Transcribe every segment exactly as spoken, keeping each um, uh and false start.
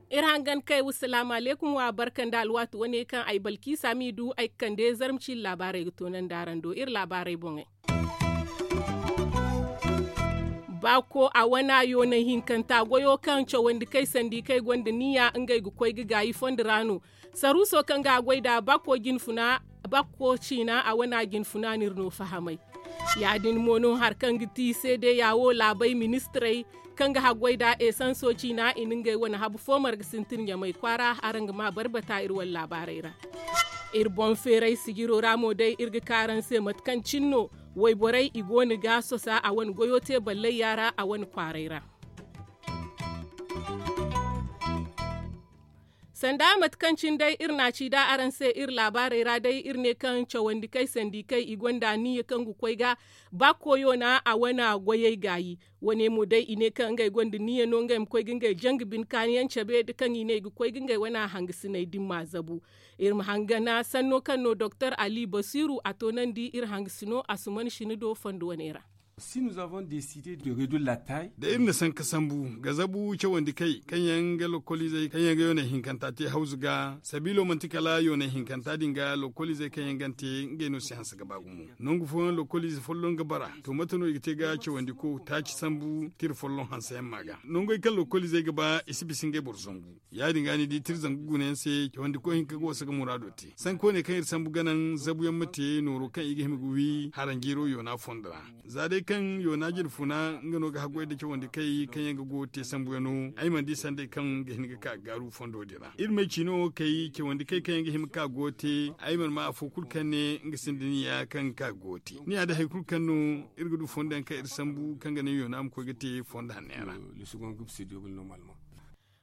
Iri hangan kay wa salaamu aleekum wa barka nda alwaati wane kaŋ ay balkiisa m'i du ay ga kande zarma ciiri laabaarey ga toonandi araŋ do iri laabaarey boŋey. Baako a wana yoonay hinkanta goyo kaŋ cawandi kay sandi kay gonda niya ngey ga koy ga gaayi fondo ra no. Saruuso kaŋ ga a goy nd'a baako jine funa baako ciina a wana jine funa no iri no fahamay. Ya- din mo no hari kaŋ ga ti seedeya wo laabey ministirey kaŋ ga haggoy nd'a esanso ciina i na ngey wane habu fo marga sintin ɲamay kwaara araŋ ga ma barbata iri wane laabaarey ra. Iri boŋ feeray sijiro ra mo day iri ga ka araŋ se mate kaŋ cine no wayborey i go no ga sosa a wane goyo te ballayya ra a wane kwaaray ra. Sanda mate kaŋ cine day iri na a ci da araŋ se iri laabaarey ra day iri ne kaŋ cawandi kay sandi kay i gonda niya kaŋ ga koy ga ba koyo na a wane goyey gaayi. Wane mo day i ne kaŋ ngey gonda niya no ngey ma koy ga ngey janga bine kaani yaŋ cabe da kaŋ i ne i ga koy ga ngey wane hangasiney dimma zabu. Iri ma hangana sanno kaŋ no doktor ali basiru a toonandi iri hangasino a suman sini do fondo wane ra. Da iri na sanka sambu ga zabu cawandi kay kaŋ yaŋ ga lokoliizey kaŋ yaŋ ga yoonay hinkanta te hawzu ga sabiilo manti kala yoonay hinkanta din ga lokoliizey kaŋ yaŋ ga ni te ngey no si hanse ga ba gumo. Nangu fooyaŋ lokoliize folloŋ ga bara to mate no i ga te ga cawandi ko taaci sambu tira folloŋ hanse yaŋ ma ga nangey kaŋ lokoliizey ga ba i si bisa ngey boro zangu. Ya- din ga ni di tira zangu guna yaŋ se cawandi koy hinka ga wasa ga muraado te sanka wane kaŋ iri sambu ga naŋ zabu yaŋ ma te nooro kaŋ i ga hima ga wi haranjiiro yoona fondo ra. Za day kaŋ yoona jine funa nga no ga haggoy nda cawandi kay kaŋ yaŋ ga go ga te sambu yaŋo ay mana di sanday kaŋ ga hin ga ka ga gaaru fondo din ra iri ma ay ciino kay cawandi kay kaŋ yaŋ ga hima ga ka ga go ga te. Ay mana ma afo kulu kaŋ ne nga sinda niya kaŋ ga ka ga go ga te niya da hari kulu kaŋ no iri ga du fondo yaŋ kaŋ iri sambu kaŋ ga naŋ yoona ma koy ga te fondo hanno yaŋ ra.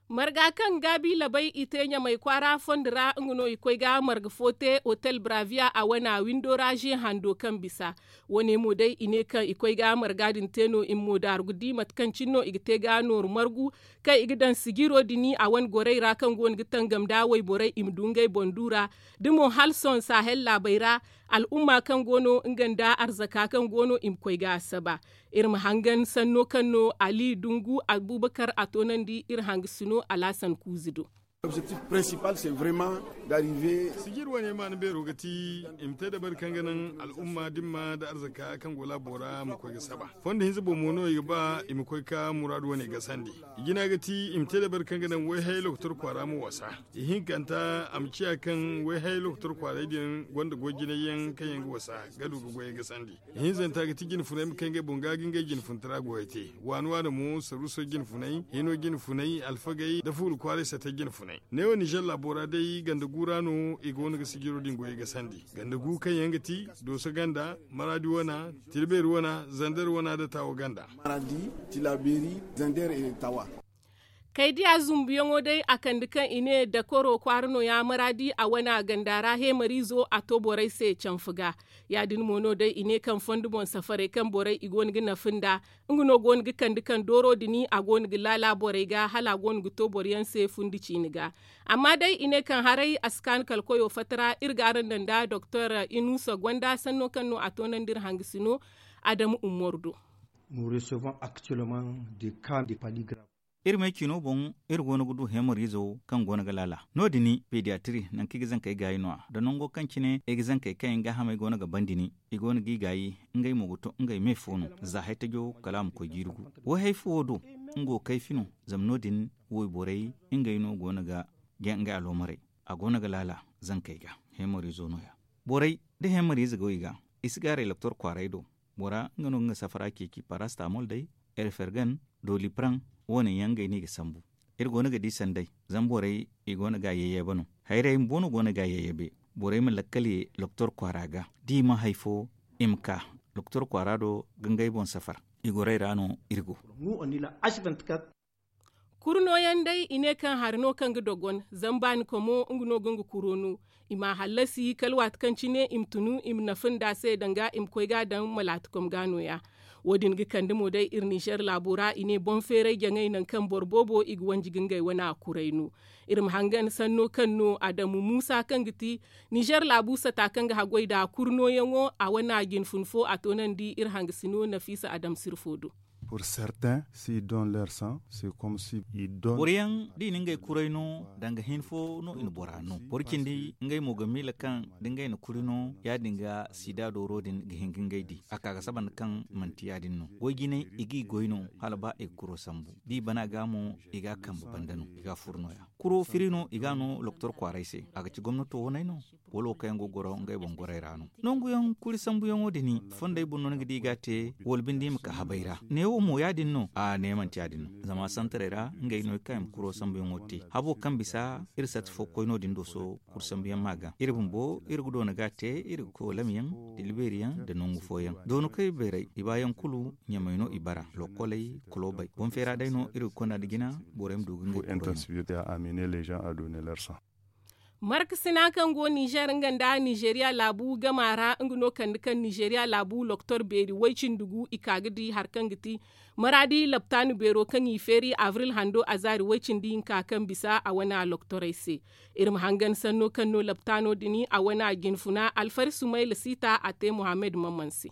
Marga kaŋ gaabi labay i te ɲamay kwaara fondo ra nga no i koy ga marga fo te otel bravia a wana windo ra ze hando kaŋ bisa. Wane mo day i ne kaŋ i koy ga marga din te no i ma mo daaru ga di mate kaŋ cine no i ga te ga nooru margu kaŋ i ga daŋ sijiro din a wane gorey ra kaŋ go no ga tangam nda wayborey i ma du ngey boŋ du ra. Da mo hala sohõ sahel laabey ra al'umma kaŋ go no nga nda arzaka kaŋ go no i ma koy ga a saba. Iri ma hangan sanno kaŋ no ali dungu abubakar a toonandi iri hangasino alaasan kuuzi do. Sijir wane maana beero ga ti i ma te dabari kaŋ ga naŋ al'umma dimma nda arzaka kaŋ go laabo ra ma koy ga saba. Fondo hinza boŋ mo no i ga ba i ma koy ka muraadu wane gasandi. I jina ga ti i ma te dabari kaŋ ga naŋ wayhayey lokotor kwaara ma wasa. Ihinkanta a ma ciya kaŋ wayhayey lokotor kwaaray din gonda goy jinay yaŋ kaŋ yaŋ ga wasa ga du ga goyey gasandi. Ihinzanta ga ti jine funay ma kay ngey boŋ ga ga ngey jine funtara goyey te. Waani waani mo saruuso jine funay hino jine funay alfagey nda fuula kwaaray sata jine funay. Neewo nizer laabo ra day ganda gu ra no i go no ga sijiro din goyey gasandi. Ganda gu kaŋ yaŋ ga ti dooso ganda maraadi wana tilbeeri wana zander wana nda taawa ganda. Kaydiya zumbuyaŋo day a kande kaŋ i ne dakoro kwaara no ya maraadi a wana ganda ra heemariizo a to borey se canfa ga. Ya- din mo no day i ne kaŋ fondo boŋ safarey kaŋ borey i go no ga nafa nda nga no go no ga kande kaŋ dooro din a go no ga laala borey ga hala a go no ga to boro yaŋ se fundi ciine ga. Amma day i ne kaŋ haray a si kaanu kala koyo fatta ra iri ga araŋ daŋ nda doktor inusa gonda sanno kaŋ no a toonandi iri hangasino adamu umaru do. Iri me ciino boŋ iri go no ga du heemariizo kaŋ go no ga laala no- din pediyatiri nangu kaŋ i ga zankey gaayi no- ya nda nango kaŋ cine ay ga zankey kaŋ yaŋ gaahamey go no ga ban din i go no g'i gaayi. Ngey mo ga to ngey me fo no za hay tajo kala a ma koy jiiri gu. Wayhay fo wo do nga wo kayfi no. Zama no- din wayborey ngey no go no ga jaŋ ngey aloomarey. A go no ga laala zankey ga heemariizo no- ya. Borey da heemariize go i ga i si gaaray loktor kwaaray do. Bora nga no ga nga safara ceeci parastamol day, erfergan, dolipran, wo- ne yaŋ ngey no i ga sambu. Iri go no ga di sanday zama borey i go no ga a yayyabe no. Hayray bumbo no go no ga a yayyabe. Borey ma lakkal ye loktor kwaara ga da i ma hay fo i ma ka loktor kwaara do ga ngey boŋ safar. I gorey ra no iri go. Kuru nooyaŋ day i ne kaŋ hari no kaŋ ga dogon zama baani komo nga no ga nga kuro no. I m'a hallasi kala waati kaŋ cine i ma tunu i ma nafa nda a se danga i ma koy ga a daŋ malaati kom ga no- ya. Wo- din ga kande mo day iri nizer laabo ra i ne boŋ feeray jaŋay nangu kaŋ boro boobo i ga wanji ga ngey wane a kuray no. Iri ma hangan sanno kaŋ no adamu muusa kaŋ ga ti nizer laabu sata kaŋ ga haggoy nd'a kurnooyaŋo a wane a jine fun fo a toonandi iri hangasino nafiisa adam sirfo do. Pour certains, si don lersan se comme si i don. Boro yaŋ da i na ngey kuray no danga hin fo no i na bora no boro cindi ngey mo ga miila kaŋ da ngey na kuri no ya- din ga sida dooro din ga hin ga ngey di a ka ga saba nda kaŋ manti ya- din no. Goy jinay i ga i goy no hala ba i ga kuro sambu da i bana ga mo i ga a kambe banda no i ga a furo no- ya kuro firi no i ga a no loktor kwaaray se a ga ci gomnato waney no? Wala wo kaŋ yaŋ go ga goro ngey boŋ gorey ra no? Nangu yaŋ kuri sambuyaŋo din fondey boŋ no ni ga di i ga a te wala binde i ma ka habay ra neewo mo ya- din no a ne manti ya- din no. Zama santarey ra ngey no i kaŋ i ma kuro sambuyaŋo te habo kaŋ bisa iri sati fo koy no- din do sohõ. Kuri sambuyaŋ ma ga iri bumbo iri ga doona ga a te iri ga koy walam yaŋ da libeeri yaŋ nda nangu fooyaŋ doona koy bayray i baayaŋ kulu ɲamay no i bara lokoley kulobey boŋ feera day no iri ga konda nda jina. Borey ma du ga ngey kuro yaŋ. Markasina kaŋ go nizer nga nda nizeriya laabu gama ra nga no kande kaŋ nizeriya laabu loktor beeri way-cindi gu i ka ga di hari kaŋ ga ti maraadi laptaanu beero kaŋ i feeri abril hando a zaari way-cindi hinka kaŋ bisa a wane a loktorey se. Iri ma hangan sanno kaŋ no laptaano din a wane a jinfuna alfari sumayla siita a te mohammed mamman se.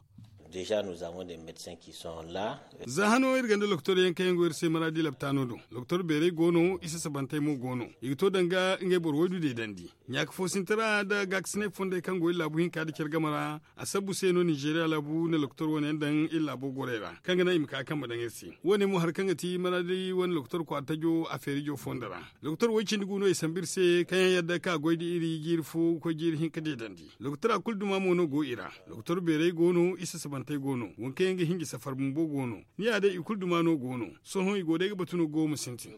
Za hano iri gonda loktor yaŋ kaŋ yaŋ go iri se maraadi laptaano do. Loktor beerey go no isa sabantey mo go no i ga to danga ngey boro waydu deedandi. Ɲaaka fo sintin ra nda gaakasinay fondey kaŋ go iri laabu hinka nda care game ra. A sabbu se no nizeeriya laabu na loktor wane yaŋ daŋ iri laabo gorey ra kaŋ ga naŋ i ma ka kambe daŋ iri se. Wo- ne mo hari kaŋ ga ti maraadi wane loktor kwaara tajo a feerijo fondo ra. Doktor way-cindi gu no i sambu iri se kaŋ yaŋ yadda ka goy da iri jiiri fo ga koy jiiri hinka deedandi. Doktora kulu duma mo no go i ra. Doktor beerey go no isa sabantey go no waŋ kaŋ yaŋ ga hinji safar bumbo go no. Ni ya day i kulu duma no go no. Sohõ i go day ga batu no go ma sintin.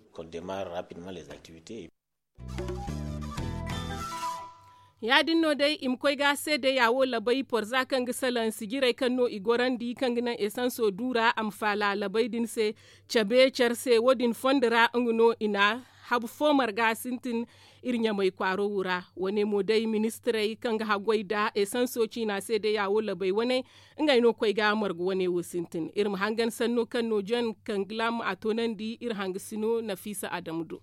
Ya- din no day i ma koy ga seedeya wo labay porza kaŋ ga salaŋ sijirey kaŋ no i gorandi kaŋ ga naŋ esanso duura a ma faala labay din se. Cabe care se wo- din fondo ra nga no i na habu fo marga sintin. Iri ɲamay kwaaro wo ra wane mo day ministirey kaŋ ga haggoy nda esanso ciina seedeya wo labay wane. Ngey no koy ga marga wane wo sintin iri ma hangan sanno kaŋ no jon kaŋ ga laama a toonandi iri hangasino nafiisa adamu do.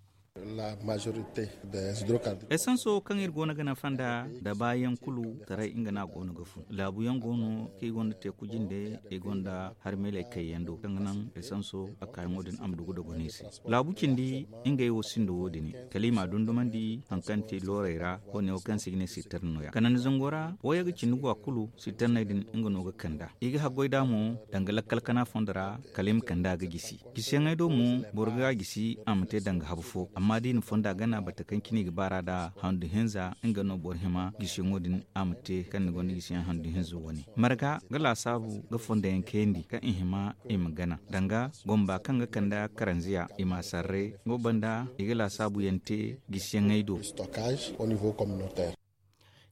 Esanso kaŋ iri go no ga nafa nda da baayaŋ kulu taray nga no a go no ga fun laabu yaŋ go no kaŋ i gonda teeku jinde i gonda harmeeley kayyaŋ do kaŋ ga naŋ esanso a kaayaŋo din a ma du ga dogon i se. Laabu cindi ngey wo sinda wo- din kala i m'a dundumandi hari kaŋ ti loorey ra wo- ne wo kaŋ se i ga ne sittarna no- ya kanandi zango ra wooyaŋ ga cindi go a kulu sittarney din nga no ga kand'a. I ga haggoy nd'a mo danga lakkal kana fondo ra kala i ma kand'a ga jisi. Gisiyaŋey do mo boro ga a gisi a ma te danga habu fo amma da i na fonda gana bata kaŋ cine i ga baar'a nd'a handu hinza nga no boro hima gisiyaŋo din a ma te kaŋ ni gonda gisiyaŋ handu hinza wane marga ga laasaabu ga fondayaŋ kayandi kaŋ i hima i ma gana danga gomba kaŋ ga kand'a karanziya i m'a sarre. Nga wo banda i ga laasaabuyaŋ te gisiyaŋey do.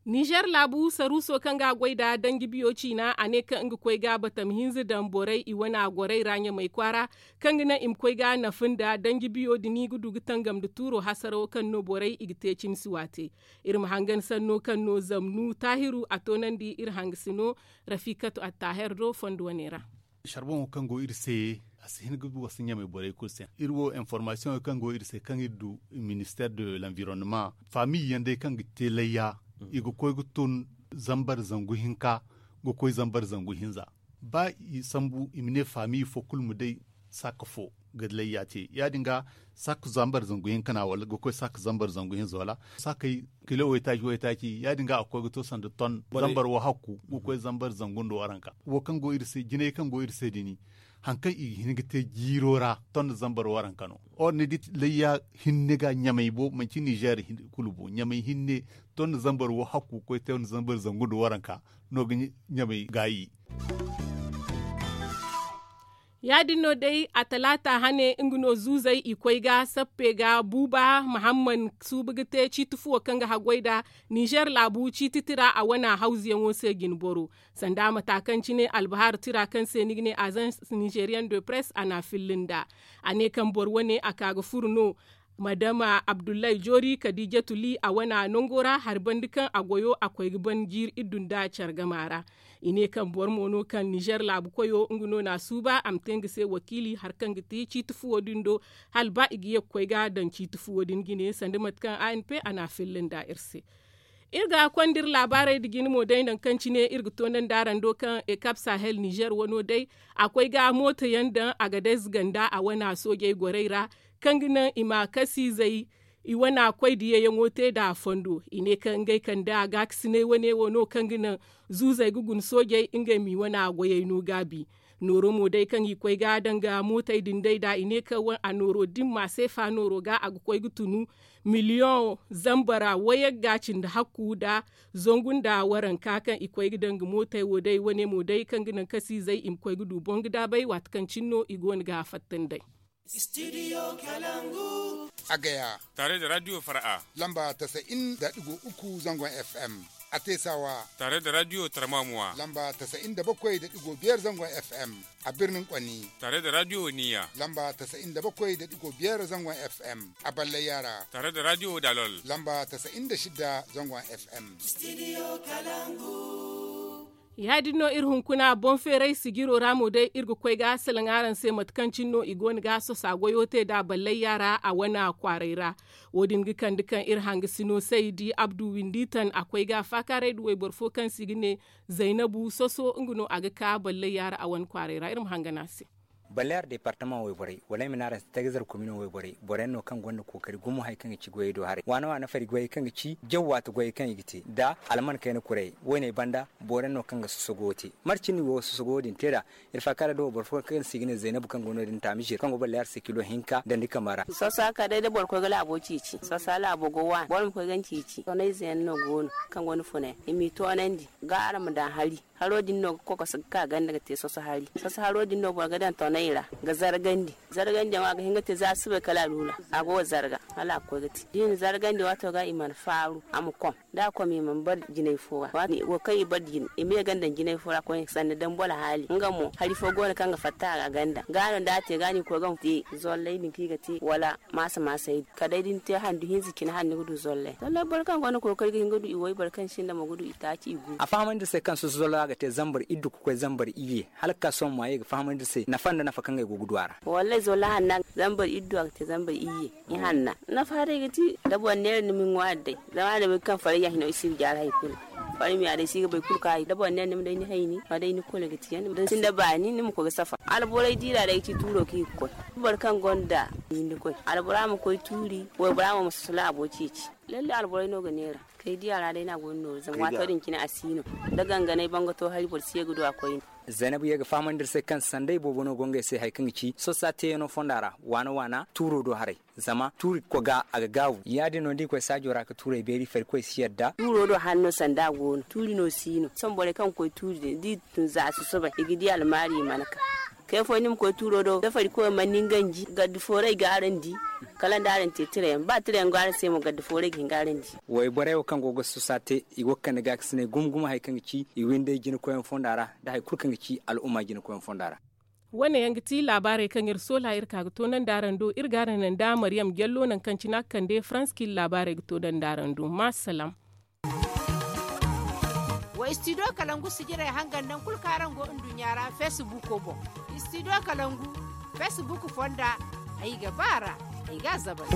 Nizer laabu saruuso kaŋ ga a goy nda danji biyo ciina a ne kaŋ nga koy ga batam hinza daŋ borey i wane a gorey ra ɲamay kwaara kaŋ ga naŋ i ma koy ga nafa nda danji biyo din i ga du ga tangam nda tuuro hasarawo kaŋ no borey i ga te cimsi waate. Iri ma hangan sanno kaŋ no zamnu taahiru a toonandi iri hangasino rafiikatu attaher do fondo wane ra. Sarboŋo kaŋ go iri se a si hin ga wasa ɲamay borey kulu se iri wo informasiyoŋo kaŋ go iri se kaŋ iri du minister de l'environnement faamiiyaŋ day kaŋ ga te layya i ga koy ga tun zambar zangu hinka ga koy zambar zangu hinza. Ba i sambu i ma ne faamiiya fo kulu ma day saaka fo ga layya te ya- din ga saaka zambar zangu hinka na wala ga koy saaka zambar zangu hinza wala saakey kilo waytaaci waytaaci ya- din ga a ga koy ga to sanda ton zambar wo hakku ga koy zambar zangu nda waranka wo kaŋ go iri se jinay kaŋ go iri se din. Hari kaŋ i ga hin ga te jiiro ra ton nda zambar waranka no. Or ni di layya hinne ga ɲamay bo manci nizer kulu bo ɲamay hinne ton nda zambar wo hakku ga koy ton nda zambar zangu nda waranka no ga ɲamay gaayi. Ya- din no day a talaata hane nga no zuuzey i koy ga sappe ga buuba mahamman suuba ga te ciiti fuwo kaŋ ga haggoy nda nizer laabu ciiti tira a wane a hawzuyaŋo se jinboro. Sanda mata kaŋ cine albahar tira kaŋ se ni ga ne azans nizerian de press a n'a filli nd'a. A ne kaŋ boro wane a ka ga furo no. Madama abdullahi joori kadiijatu li a wana nango ra hari banda kaŋ a goyo a koy ga ban jiiri iddu nda care gama ra. I ne kaŋ boro mo no kaŋ nizer laabu koyo nga no na a suuba a ma te nga se wakiili hari kaŋ ga ti ciiti fuwo din do, hala ba i ga ye ga koy ga a daŋ ciiti fuwo din jine sanda mate kaŋ a n p a na a filla nda iri se. Iri ga konda iri laabaarey nda jine mo day nangu kaŋ cine iri ga toonandi araŋ do kaŋ ekap sahel nizer wano day a koy ga mooto yaŋ daŋ a ga day ziganda a wana soojey gorey ra, kaŋ ga naŋ i ma kasiizey i wana koy diyayaŋo te nda a fondo. I ne kaŋ ngey kande a gaakasinay wane wo no kaŋ ga naŋ zuuzey ga guna soojey ngey ma i wana goyey no gaabi. Nooro mo day kaŋ i koy ga a daŋ ga mootey din day nda i ne kaŋ a nooro dimma seefa nooro ga a ga koy ga tunu miliyoŋ zambara wayagga cindi hakku nda zangu nda waranka kaŋ i koy ga daŋ ga mootey wo day wane mo day kaŋ ga naŋ kasiizey i ma koy ga du boŋ ga daabay waati kaŋ cine no i go no ga a fatta nd'ey. A gaya. Tare da radiyo fara'a lamba tasa'in da digo uku zangon f m. A teesawa. Tare da radiyo tarmamuwa lamba tasa'in da bakwai da digo biyar zangon f m. A birnin kwani tare da radiyo niya lamba tasa'in da bakwai da digo biyar zangon f m. A ballai yara tare da radiyo dalol lamba tasa'in da shida zangon f m. Ya- din no iri hunkuna boŋ feeray sijiro ra mo day iri ga koy ga salaŋ araŋ se mate kaŋ cine no i go no ga a sosa goyo te nda ballay yaara a wane kwaaray ra. Wo- din ga kande kaŋ iri hangasino saydi abdu windi tan a koy ga faakaaray nda wayboro fo kaŋ se i ga ne zaynabu soso nga no a ga ka ballay yaara a wane kwaaray ra iri ma hangan a se. Ballay yaara departama wayborey wala ay ma ne araŋ se tagazar komino wayborey boro yaŋ no kaŋ gonda kookari gumo hari kaŋ ga ci goyey do haray waana waana fari goyey kaŋ ga ci jaw waati goyey kaŋ i ga te nda alman kayna kurey. Woyney banda boro yaŋ no kaŋ ga sosogo wo te. Mate cine no i go ga sosogo wo- din te nd'a? Iri faakaaray da wayboro fo kaŋ se i ga ne zaynabu kaŋ go no- din taamizir kaŋ go ballay yaara se kilo hinka dandi kama ra. Soso a ka day da boro koy ga laabo ceeci soso laabo go waani boro ma koy ga ni ceeci toonayze yaŋ no go no kaŋ gonda funay i m'i toonandi ga araŋ ma daŋ hari. Haro din no ga kokoso ga ka ganda ga te soso hari soso haro din no boro ga daŋ tonay ra ga zargandi. Zargandiyaŋo a ga hin ga te za a si bay kala a lula a go ga zarga hala a ga koy ga te da i na zargandi waato ga i mana faaru a ma kom da a kom i mana bar jinay fo ra. Waati wo kaŋ i bar jinay i ma ye ganda jinay fo ra koyne sanda dambu alhaali nga mo hari fo go no kaŋ ga fatta a ganda ga no da a te ga no i koy ga te zollay din kaŋ i ga te wala maasa maasay din kala day da ni te handu hinza cine hala ni ga du zollay zollay boro kaŋ gonda kookari ga hin ga du i way boro kaŋ sinda mo ga du i taaci i gu. A fahamandi iri se kaŋ soso zollo ra ga te zambar iddu ga koy zambar iyye hala ga ka sohõ ma ye ga fahamandi iri se nafa nda nafa kaŋ ay go ga du a ra. Wallaahi zollo hanna zambar iddu a ga te zambar iyye. I hanna nafa haray ga ti da boro neera ni ma ni ŋwaari day zama a na bay kaŋ faray ya hino i si ga jaari hari kulu. Faray ma ya day si ga bay kulu kaŋ a day da boro neera ni ma day ni hayni ma day ni kulu ga ti yaŋ da ni sinda baani ni ma koy ga safar alborey diira day ga ci tuuro kaŋ i ga koy. Boro kaŋ gonda hinda koy albora ma koy tuuri waybora mo ma soso laabo ceeci. Lalle alborey no ga neera kay di a ra day no a go ni nooru zama waato din cine a si no da ganganay bangato hari boro si ye ga du a koyne. Zaynabu ye ga fahamandi iri se kaŋ sanday boobo no go ngey se hari kaŋ ga ci sosa teeyano fonda ra waana waana tuuro do haray. Zama tuuri koga a ga gaabu ya- din no da i koy saajo ra ga tuurey beeri farikoy si yadda. Tuuro do hanno sanda a go no tuuri no si no sohõ borey kaŋ ga koy tuuri din da i tun za a susubay i ga di almaari i mana ka. Kay fooyaŋ ni ma koy tuuro do da farikoy mana ni ganji gaddi fooray ga araŋ di kala nda araŋ te tirayaŋ ba tirayaŋ go araŋ se mo gaddi fooray ga hin ga araŋ di. Wayborey wo kaŋ go ga sosa te i go ga kande gaakasinay gumo gumo hari kaŋ ga ci i windey jinakoyaŋ fonda ra nda hari kulu kaŋ ga ci al'umma jinakoyaŋ fonda ra. Wane yaŋ ga ti laabaarey kaŋ iri soola iri ka ga toonandi araŋ do iri ga araŋ naŋ da mariyam jallo nangu kaŋ cine a ga kande farans kaŋ iri laabaarey ga toonandi araŋ do ma salaam. Wa istidiyo kalangu sijirey hangan naŋ kulu kaŋ araŋ go nduɲɲa ra feesibuuko boŋ. Istidiyo kalangu feesibuuko fonda ay ga ba a ra ay ga a zabar.